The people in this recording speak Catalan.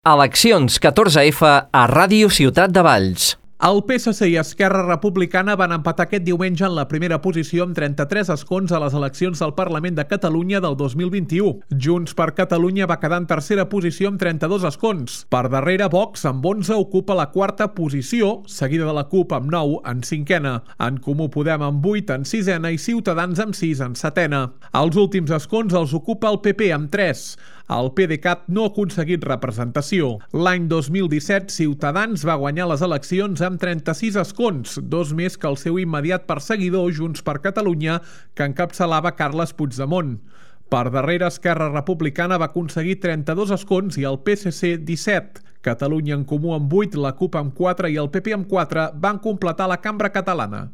Eleccions 14F a Ràdio Ciutat de Valls. El PSC i Esquerra Republicana van empatar aquest diumenge en la primera posició amb 33 escons a les eleccions del Parlament de Catalunya del 2021. Junts per Catalunya va quedar en tercera posició amb 32 escons. Per darrere, Vox, amb 11, ocupa la quarta posició, seguida de la CUP amb 9 en cinquena. En Comú Podem amb 8 en sisena i Ciutadans amb 6 en setena. Els últims escons els ocupa el PP amb 3. El PDeCAT no ha aconseguit representació. L'any 2017, Ciutadans va guanyar les eleccions amb 36 escons, 2 més que el seu immediat perseguidor, Junts per Catalunya, que encapçalava Carles Puigdemont. Per darrere, Esquerra Republicana va aconseguir 32 escons i el PSC 17. Catalunya en Comú amb 8, la CUP amb 4 i el PP amb 4 van completar la cambra catalana.